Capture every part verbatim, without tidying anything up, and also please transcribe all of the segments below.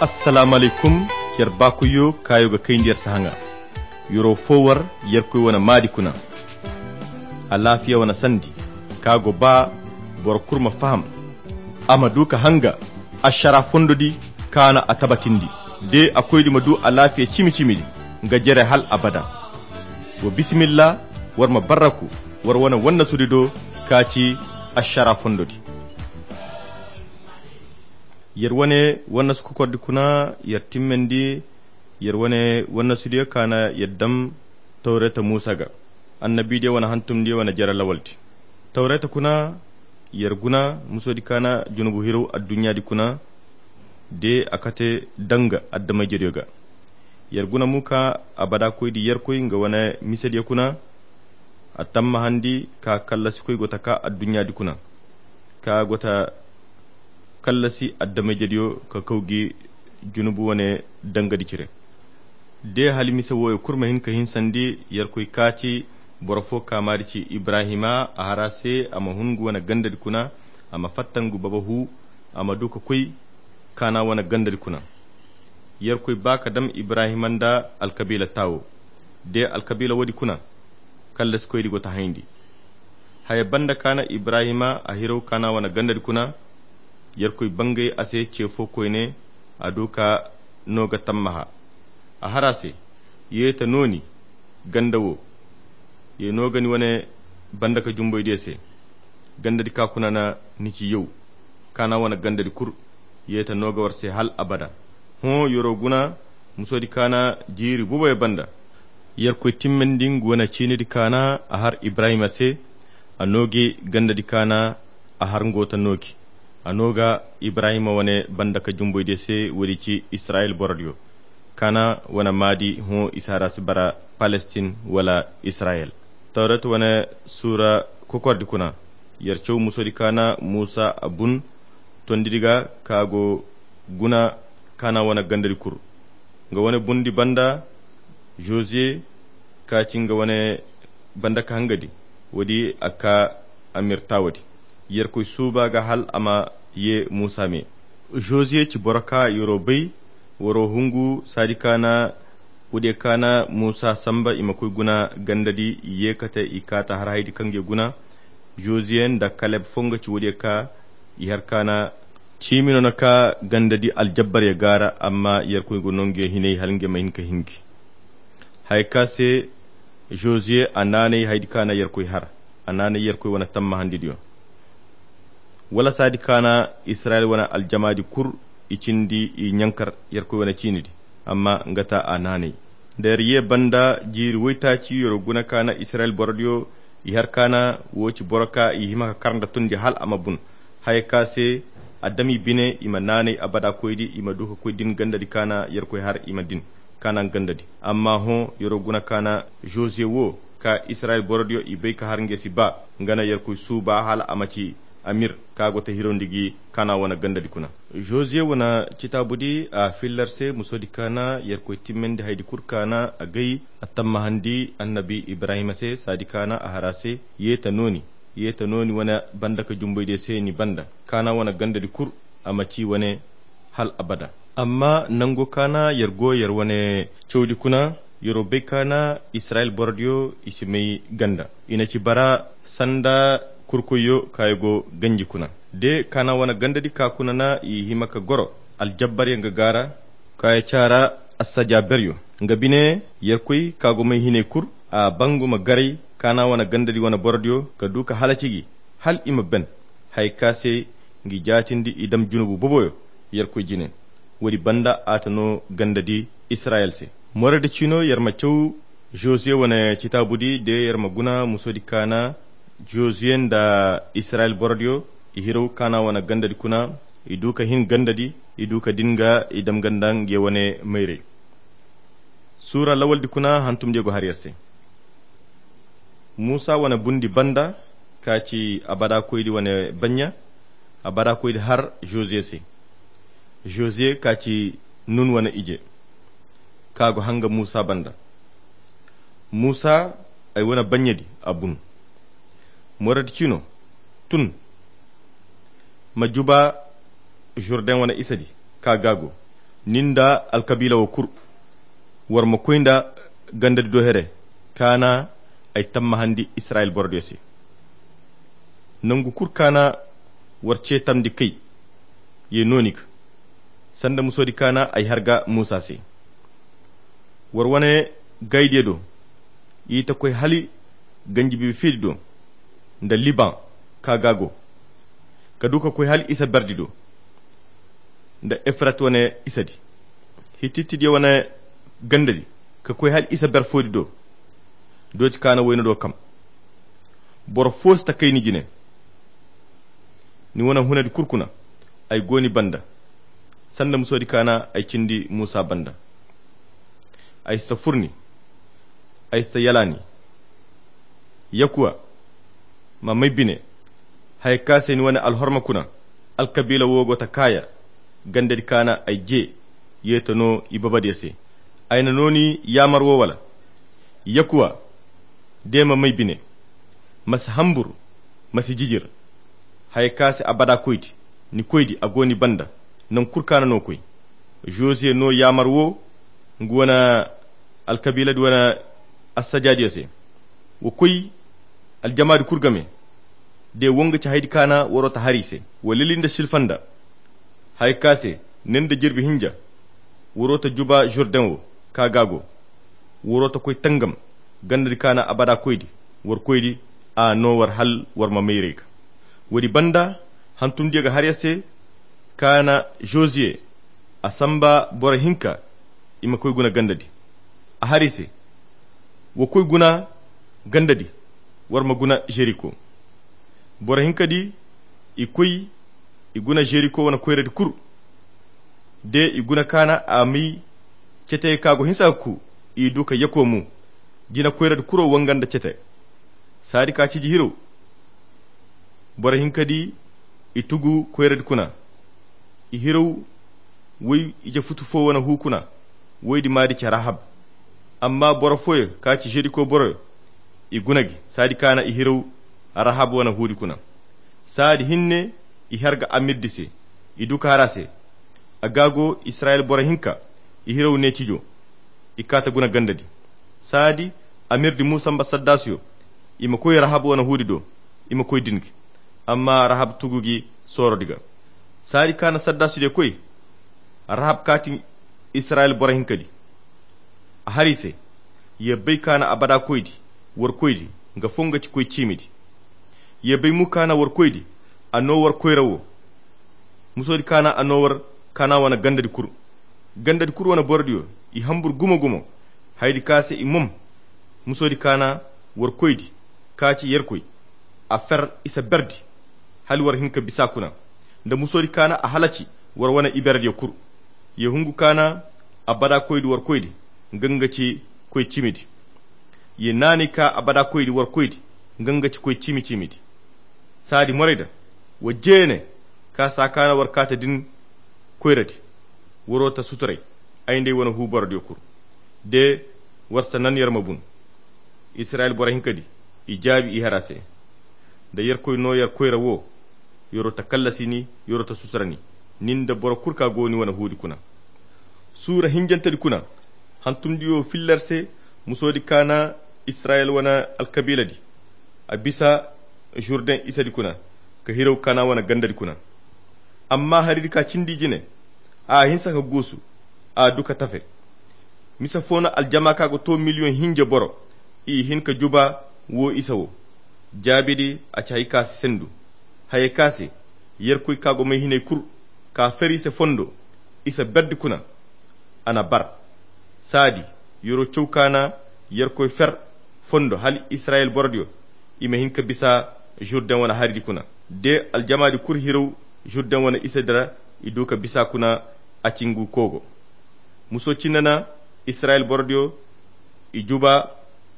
Assalaamu alaykum. Yer baakoyyo kaayo ga kayndi yer se haŋa. Yer'o fo war yerkoy wane maadi kuna. Alaafiya wane sandi ka go ba boro kulu ma faham, a ma du ka hanga ašara fondo di kaana a tabatindi. De a koydi ma du alaafiya cimi-cimi di nga jere hal abada. Wa bisimilla, war ma barraku war wane wannasudi do ka ci ašara fondo di. Yer wane wannasu kokordi kuna yer timmandi yer wane wannasudiyo kaana yer dam tawreta muusa ga, annabidiyo wane hantumdiyo wane jere lawaldi. Tawreta kuna yer guna musodi kaana junubu hirow adduɲɲaadi kuna de a kate danga addamayjediyo ga. Yer guna mu ka abada koydi yerkoy nga wane misediyo kuna a tammahandi ka kallasikoy go ta ka adduɲɲaadi kuna ka go ta kallasi addamayjediyo ka kaw gi junubu wane dangadi cire. De hali mise wooyo kulu ma hin ka hinsandi yerkoy kaati boro fo kaamaadi ci ibrahima a har a se a ma hun ngu wane gandadi kuna a ma fatta ngu baba hu a ma du ka koy kaana wane gandadi kuna. Yerkoy ba ka dam ibrahima nda alkabiila taawo de alkabiila woodi kuna kallasikoydi go ta hayndi. Haya banda kaana ibrahima a hirow kaana wane gandadi kuna yerkoy bangay a se ce fo koyne a du ka no ga tammaha. A har a se ye ta nooni ganda wo ye no ga ni wane banda ka jumboydiyo se. Gandadi ka kuna na ni ci yow kaana wane gandadi kulu ye ta no ga war se hal abada. Hõ yer'o guna musodi kaana jiiri buboyo banda yerkoy timmandi ngu wane ciinidi kaana a har ibrahima se. A no gi gandadi kaana a har ngo ta no gi a no ga ibrahima wane banda ka jumboydiyo se woodi ci israyil borodiyo kaana wane maadi hõ i si har a si bara palestin wala israyil. Tawreta wane suura kokordi kuna yer caw musodi kaana muusa a bun tondidi ga ka go guna kaana wane gandadi kulu. Nga wane bundi banda josiye ka ci nga wane banda ka hangadi woodi a ka amir taawadi yerkoy suuba ga hal a ma ye muusa me. Josiye ci boro ka yer'o bay war'o hungu saadi kaana woodiyo kaana muusa samba i ma koy guna gandadi i ye kate i kaata har haydi kaŋ ga guna. Josiye nda kaleb fo nga ci woodiyo ka i har kaana ciimi no na ka gandadi aljabbaryo gaara amma yerkoy go no nga hinay hala nga ma hin ka hingi. Haya ka se josiye a naanay haydi kaana yerkoy har a naanay yerkoy wane tammahandidiyo wala saadi kaana israyil wane aljamaadi kulu i cindi i ɲankar yerkoy wane ciinidi. Amma nga ta a naanay nda yer ye banda jiiri woytaaci yer'o guna kaana israyil borodiyo i har kaana wo ci boro ka i hima ka kar nda tundi hal a ma bun. Haya ka se a dam i bine i ma naanay abada koydi i ma du ka koy din gandadi kaana yerkoy har i ma din kaana gandadi. Amma hõ yer'o guna kaana josiye wo ka israyil borodiyo i bay ka har nga si ba nga na yerkoy suuba hala a ma ci amir ka go ta hirawndi gi kaana wane gandadi kuna. Josiye wane citaabudi a fillar se musodi kaana yerkoy timmandi haydi kulu kaana a gay a tammahandi annabi ibrahima se saadi kaana a har a se ye ta nooni ye ta nooni wane banda ka jumboydiyo se ni banda kaana wane gandadi kulu a ma ci wane hal abada. Amma nango kaana yer go yer wane cawdi kuna yer'o bay kaana israyil borodiyo i si may ganda i na ci bara sanda kurkoyyo ka yer go ganji kuna de kaana wane gandadi ka kuna na i hima ka goro aljabbaryo nga gaara ka yer caara assajaberyo nga bine yerkoy ka go may hinay kulu a bangu ma garay kaana wane gandadi wane borodiyo ka du ka halaci gi hal i ma ben. Haya ka se ngi jaatindi i dam junubu boboyo yerkoy jine. Woodi banda a ta no gandadi israyil se moradi ciino yer ma caw josiye wane citaabudi de yer ma guna musodi kaana josiye nda israyil borodiyo i hiraw kaana wane gandadi kuna i du ka hin gandadi i du ka din ga i dam ganda nge wane mayray. Suura lawaldi kuna hantumdiyo go har yer se muusa wane bundi banda ka ci abada koydi wane baɲɲa abada koydi har josiye se. Josiye ka ci nun wane ije ka go hanga muusa banda. Muusa ay wane baɲɲadi a bun moradi cino tun ma juba jordan wane isadi ka gaago. Ni nda alkabiila wo kul, war ma koy nda gandadi do here, kaana ay tammahandi Israyil borodiyo se. Nangu kul kaana war ceetamndi kay ye nooni ga, sanda musoodi kaana ay har ga Muusa se. War wane gaydiyo do, i ta koy hala ganji biibi fiidi do, nda Liban ka ga go, ka du ka koy hala isa berdi do, nda Efrat wane isadi, Hitittidiyo wane gandadi, ka koy hala isa ber foodi do, dooti kaana wayna do kam. Boro fo si ta kay ni jine. Ni wane hunadi kul kuna, ay go ni banda, sanda musoodi kaana ay cindi Muusa banda. Ay si ta fur ni, ay si ta yala ni. Yakuwa, ma m'ay bine, haya ka se ni wane alhorma kuna, alkabiila wo go ta kaaya, gandadi kaana ay je, ye ta no i babadiyo se. Ay na no ni yaamar wo wala? Yakuwa, de ma m'ay bine, ma si hambur, ma si jijir. Haya ka se abada koydi, ni koydi a go ni banda, nangu kul kaana no koy. Josuwe no yaamar wo, nga wane alkabiiladi wane assajaadiyo se. Wa koy aljamaadi kul game, de wo nga ci haydi kaana waro ta har i se. Wa lili nda silfanda, haya ka se, ne nda jirbi hinja, waro ta juba Jurden wo ka ga go. Waro ta koy tangam, gandadi kaana abada koydi, war koydi, a no war hal war ma mayray ga. Woodi banda, hantumdiyo ga har ya se, kaana Josuwe, a samba boro hinka, i ma koy guna gandadi. A har i se, wa koy guna gandadi, war ma guna Jeriko. Boro hinkadi, i koy, i guna Jeriko wane koyradi kul. De i guna kaana a may cetey ka go hinsa ga ku, i du ka yako mu. Jina koyradi kuro wanganda cete. Saadi ka ciji hiraw. Boro hinkadi, i tugu koyradi kuna. I hiraw woy ije futu fo wane hu kuna. Woydi maadi ci Rahab. Amma boro fooyo ka ci Jeriko boroyo, i guna gi. Saadi kaana i hiraw Rahab wane huudi kuna. Saadi hinne, i har ga amirdi se, i du ka har a se. A ga go Israyil boro hinka, i hiraw ne cijo, i ka ta guna gandadi. Saadi amirdi mu samba saddaasiyo, i ma koy Rahab wane huudi do, i ma koy din gi. Amma Rahab tugu gi soorodi ga. Saadi kaana saddaasidiyo koy, Rahab kaati Israyil boro hinkadi. A har i se, ya bay kaana abada koydi, war koydi, nga fo nga ci koy ciimidi. Ya bay mu kaana war koydi, a no war koyra wo. Musoodi kaana a no war kaana wane gandadi kul. Gandadi kul wane borodiyo, i hambur gumo-gumo. Haydi ka se i mom. Musoodi kaana war koydi, ka ci Yerkoy. A fer isa berdi, hala war hin ka bisa kuna. Nda musoodi kaana a halaci war wane iberediyo kul. Ya hungu kaana abada koydi war koydi, nga nga ci koy ciimidi. Ya naanay ka abada koydi war koydi, nga nga ci koy ciimi-ciimidi. Saadi morayda, wa jeene ka saa kaana war kaata din koyradi. Waro ta suturay, ay nd'ay wane hu borodiyo kul. De war si ta nan yer ma bun. Israyil boro hinkadi, i jaabi i har a se. Da Yerkoy no yer koyra wo, yero ta kallasi ni, yero ta sutura ni, nin da boro kul ka go ni wane huudi kuna. Suura hinjantedi kuna, hantumdiyo filla yer se, musoodi kaana Israyil wane alkabiiladi, a bisa Jurden isadi kuna, ka hiraw kaana wane gandadi kuna. Amma haridi ka cindi jine, a hinsa ka guusu, a du ka tafe. Mise fo no aljama ka ga to miliyoŋ hinja boro, i hin ka juba wo isa wo. Jaabidi a ci hay ka si sendu. Hayey ka se, Yerkoy ka go may hinay kul, ka fer i se fondo, isa berdi kuna, a na bar. Saadi, yero caw kaana Yerkoy fer fondo hala Israyil borodiyo, i ma hin ka bisa Jurden wane haridi kuna. De aljamaadi kul hiraw Jurden wane isadi ra, i du ka bisa kuna a cingu kogo. Muso cinne na Israyil borodiyo, i juba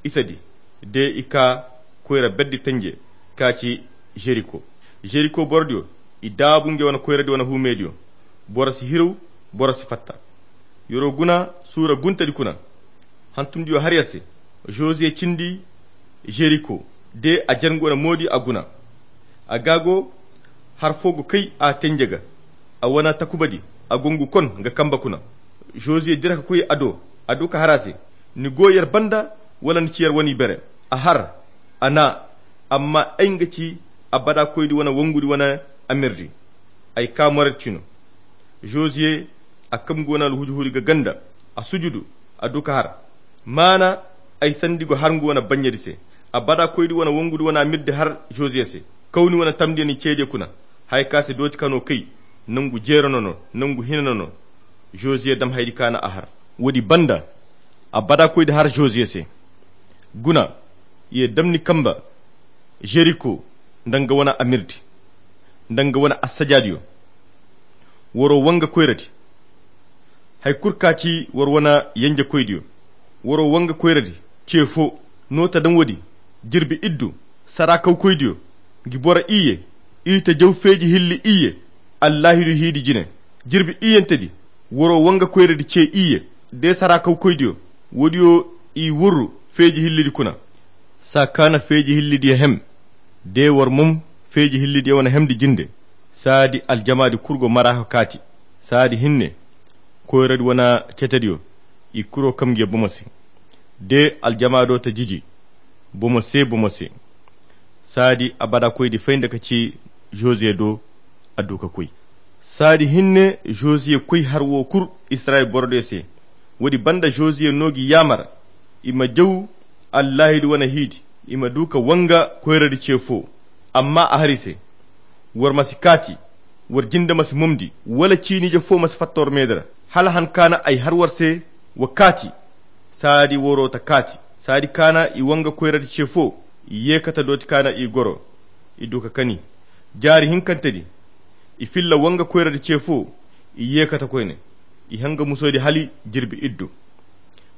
isadi, de i ka koyra berdi tanje ka ci Jeriko. Jeriko borodiyo, i daabu ngey wane koyradi wane huumediyo. Boro si hiraw, boro si fatta. Yero guna suura guntedi kuna. Hantumdiyo har yer se, Josuwe cindi Jeriko, de a jangu wane moodi a guna. A ga go, har fo go kay a tenje ga, a wane takubadi, a go ngu kon nga kamba kuna. Josiye dira ka koy a do, a du ka har a se, ni go yer banda, wala ni ci yer wane ibere? A har, a na, amma ay nga ci abada koydi wane wongudi wane amirdi. Ay ka moredi cino. Josiye a kam ngu wane alhuudi-huudi ga ganda, a sujudu, a du ka har. Maana ay sandi go har ngu wane bannyedi se. Abada koydi wane wongudi wane amirdi har josiye se. Kawni wane tamdiyo ni ceediyo kuna. Haya ka se dooti kano kay. Nangu jeero no no, nangu hina no no. Josiye dam haydi kaana a har. Woodi banda abada koydi har josiye se. Guna, ye dam ni kamba jeriko, nda nga wane amirdi, nda nga wane assajaadiyo. Woro wanga koyradi. Hay kul ka ci war wane yenjekoydiyo. Woro wanga koyradi ce fo. No ta daŋ woodi, jirbi iddu, saraakawkoydiyo, ngi boro iyye, i ta jaw feeji hilli iyye, allaahidu hiidi jine. Jirbi iyyentedi, woro wanga koyradi ce iyye, de saraakawkoydiyo, woodiyo i wurru feeji hillidi kuna. Saa kaana feeji hillidiyo hem, de war mom feeji hillidiyo wane hemdi jinde. Saadi aljamaadi kul go mara ka kaati. Saadi hinne, koyradi wane cetediyo, i kuro kam ngiyo bomo se. De aljamaado ta jiji bomo se bomo se. Saadi abada koydi fay nda ka ci josiye do, a du ka koy. Saadi hinne, josiye koy har wo kul israyil borodiyo se. Woodi banda josiye no gi yaamar i ma jaw allaahidi wane hiidi, i ma du ka wanga koyradi ce fo. Amma a har i se, war ma si kaati, war jinde ma si momndi, wala ciinije fo ma si fatta war meedi ra, hala han kaana ay har war se wa kaati. Saadi woro ta kaati. Saadi kaana i wanga koyradi ce fo, i ye kate dooti kaana i goro, i du ka kani. Jaari hinkantedi, i filla wanga koyradi ce fo, i ye kate koyne. I hanga musoodi hali jirbi iddu.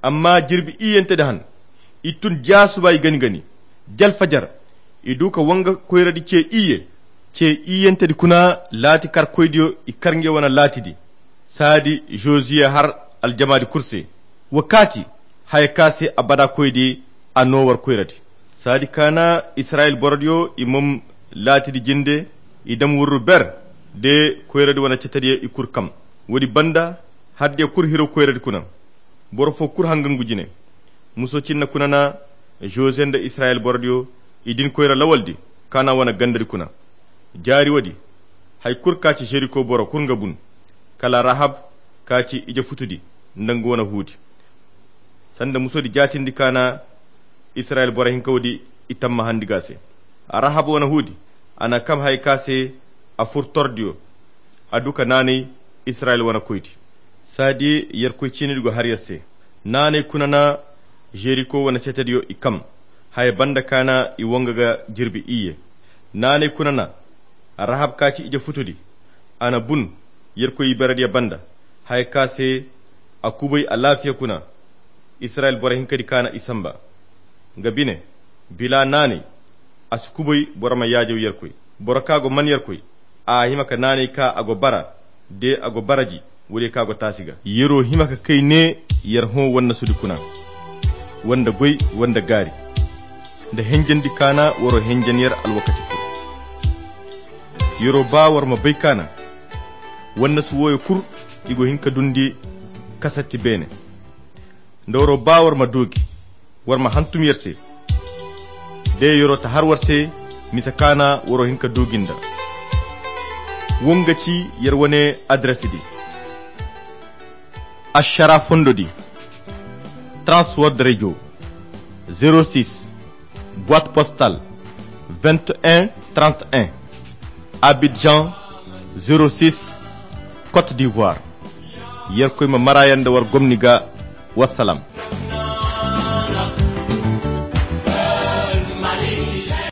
Amma jirbi iyyentedi han, i tun jaasuba i gani-gani. Jalfajar, i du ka wanga koyradi ce iyye. Ce iyyentedi kuna, laati karkoydiyo i kar nge wane laatidi. Saadi josiye har aljamaadi kul se, wa kaati, haya ka se abada koydi, a no war koyradi. Saadi kaana israyil borodiyo i mom laatidi jinde, i dam wurru ber, de koyradi wane cetediyo i kul kam. Woodi banda, hardiyo kul hiro koyradi kuna. Boro fo kul hanga ngu jine. Muso cinna kuna na josiye nda israyil borodiyo, i din koyra lawaldi kaana wane gandadi kuna. Jaari woodi, hay kul ka ci jeriko boro kul nga bun, kala rahab ka ci ije futudi, nda nga wane huudi. Sanda musoodi jaatindi kaana israyil boro hinka woodi, i tamma handi ga se. Rahab wane huudi, a na kam haya ka se a fur tordiyo, a du ka naanay israyil wane koydi. Saadi yerkoy ciinidi go har yer se. Naanay kuna na jeriko wane cetediyo i kam. Haya banda kaana i wanga ga jirbi iyye. Naanay kuna na rahab ka ci ije futudi, a na bun yerkoy iberediyo banda. Haya ka se a kubay alaafiya kuna. Israyil boro hinkadi kaana i samba. Nga bine, bila naanay, a si kubay boro ma yaajaw yerkoy. Boro ka go man yerkoy, a hima ka naanay ka a go bara, de a go baraji, woodiyo ka go taasi ga. Yero hima ka kay ne, yer hõ wannasudi kuna, wanda goy, wanda gaari, nda henjandi kaana waro henjan yer alwakati kul. Yero ba war ma bay kaana wannasu wooyo kul, i go hin ka dundi kasatti beene. Nda waro ba war ma doogi, war ma hantum yer se. De yero ta har war se, misa kaana waro hin ka doogi nda. Wo nga ci yer wane adresi di. Ašara fondo di, Transworld Radio, zéro six, boîte postale vingt et un trente et un, Abidjan, zéro six, Côte d'Ivoire. Yerkoy ma mara yanda war gomni ga. Wassalam.